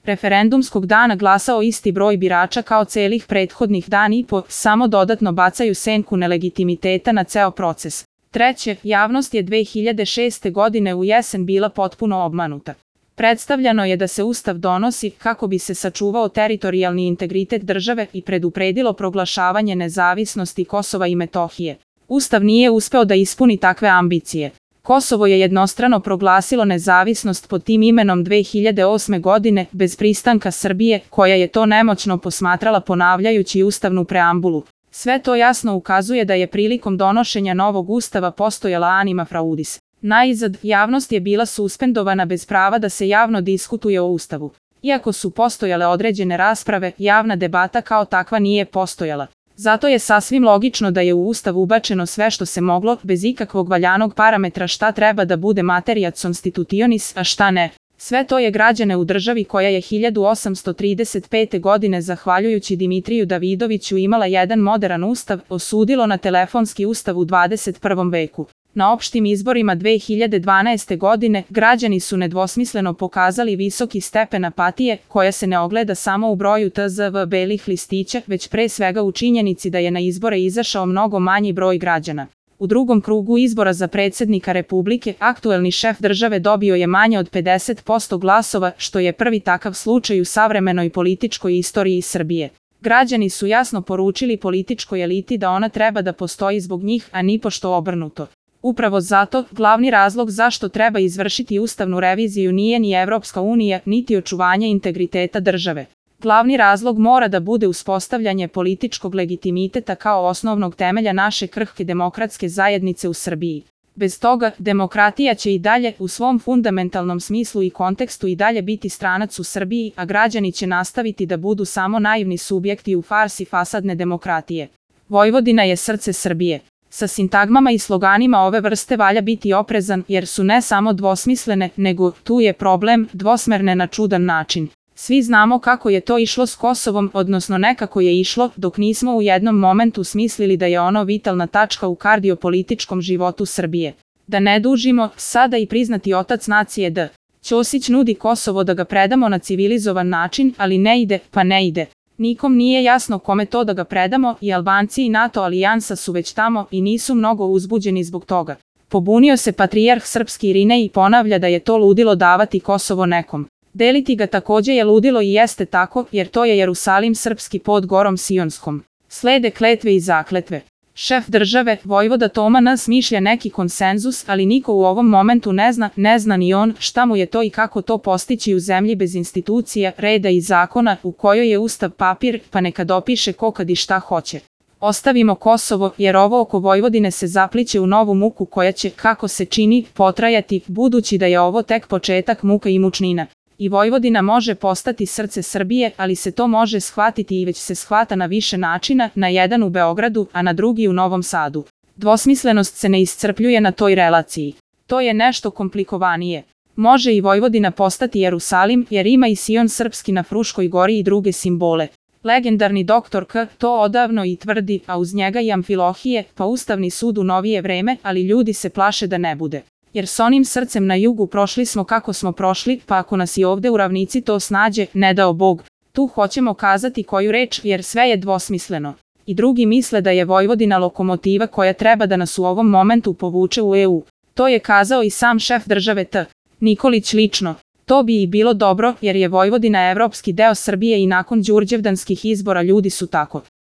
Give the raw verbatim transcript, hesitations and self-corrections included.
referendumskog dana glasao isti broj birača kao celih prethodnih dana i po, samo dodatno bacaju senku nelegitimiteta na ceo proces. Treće, javnost je dve hiljade šeste. godine u jesen bila potpuno obmanuta. Predstavljano je da se Ustav donosi kako bi se sačuvao teritorijalni integritet države i predupredilo proglašavanje nezavisnosti Kosova i Metohije. Ustav nije uspeo da ispuni takve ambicije. Kosovo je jednostrano proglasilo nezavisnost pod tim imenom dve hiljade osme. godine bez pristanka Srbije, koja je to nemoćno posmatrala ponavljajući ustavnu preambulu. Sve to jasno ukazuje da je prilikom donošenja novog ustava postojala anima fraudis. Najzad, javnost je bila suspendovana bez prava da se javno diskutuje o Ustavu. Iako su postojale određene rasprave, javna debata kao takva nije postojala. Zato je sasvim logično da je u Ustav ubačeno sve što se moglo, bez ikakvog valjanog parametra šta treba da bude materia constitutionis, a šta ne. Sve to je građane u državi koja je hiljadu osamsto trideset pete. godine zahvaljujući Dimitriju Davidoviću imala jedan moderan ustav, osudilo na telefonski ustav u dvadeset prvom veku. Na opštim izborima dve hiljade dvanaeste. godine građani su nedvosmisleno pokazali visoki stepen apatije, koja se ne ogleda samo u broju T Z V belih listića, već pre svega u činjenici da je na izbore izašao mnogo manji broj građana. U drugom krugu izbora za predsjednika Republike, aktuelni šef države dobio je manje od pedeset posto glasova, što je prvi takav slučaj u savremenoj političkoj istoriji Srbije. Građani su jasno poručili političkoj eliti da ona treba da postoji zbog njih, a nipošto obrnuto. Upravo zato, glavni razlog zašto treba izvršiti ustavnu reviziju nije ni Evropska unija, niti očuvanje integriteta države. Glavni razlog mora da bude uspostavljanje političkog legitimiteta kao osnovnog temelja naše krhke demokratske zajednice u Srbiji. Bez toga, demokratija će i dalje, u svom fundamentalnom smislu i kontekstu i dalje biti stranac u Srbiji, a građani će nastaviti da budu samo naivni subjekti u farsi fasadne demokratije. Vojvodina je srce Srbije. Sa sintagmama i sloganima ove vrste valja biti oprezan, jer su ne samo dvosmislene, nego, tu je problem, dvosmerne na čudan način. Svi znamo kako je to išlo s Kosovom, odnosno nekako je išlo, dok nismo u jednom momentu smislili da je ono vitalna tačka u kardiopolitičkom životu Srbije. Da ne dužimo, sada i priznati otac nacije D. Ćosić nudi Kosovo da ga predamo na civilizovan način, ali ne ide, pa ne ide. Nikom nije jasno kome to da ga predamo, i Albanci i NATO alijansa su već tamo i nisu mnogo uzbuđeni zbog toga. Pobunio se patrijarh srpski Irinej i ponavlja da je to ludilo davati Kosovo nekom. Deliti ga takođe je ludilo i jeste tako, jer to je Jerusalim srpski pod gorom Sionskom. Slede kletve i zakletve. Šef države, vojvoda Toma N. smišlja neki konsenzus, ali niko u ovom momentu ne zna, ne zna ni on, šta mu je to i kako to postići u zemlji bez institucija, reda i zakona, u kojoj je ustav papir, pa neka dopiše ko kad i šta hoće. Ostavimo Kosovo, jer ovo oko Vojvodine se zapliće u novu muku koja će, kako se čini, potrajati, budući da je ovo tek početak muka i mučnina. I Vojvodina može postati srce Srbije, ali se to može shvatiti i već se shvata na više načina, na jedan u Beogradu, a na drugi u Novom Sadu. Dvosmislenost se ne iscrpljuje na toj relaciji. To je nešto komplikovanije. Može i Vojvodina postati Jerusalim, jer ima i Sion srpski na Fruškoj gori i druge simbole. Legendarni doktor K. to odavno i tvrdi, a uz njega i Amfilohije, pa Ustavni sud u novije vreme, ali ljudi se plaše da ne bude. Jer s onim srcem na jugu prošli smo kako smo prošli, pa ako nas i ovde u ravnici to snađe, ne dao Bog. Tu hoćemo kazati koju reč, jer sve je dvosmisleno. I drugi misle da je Vojvodina lokomotiva koja treba da nas u ovom momentu povuče u E U. To je kazao i sam šef države T. Nikolić lično. To bi i bilo dobro, jer je Vojvodina evropski deo Srbije i nakon đurđevdanskih izbora ljudi su tako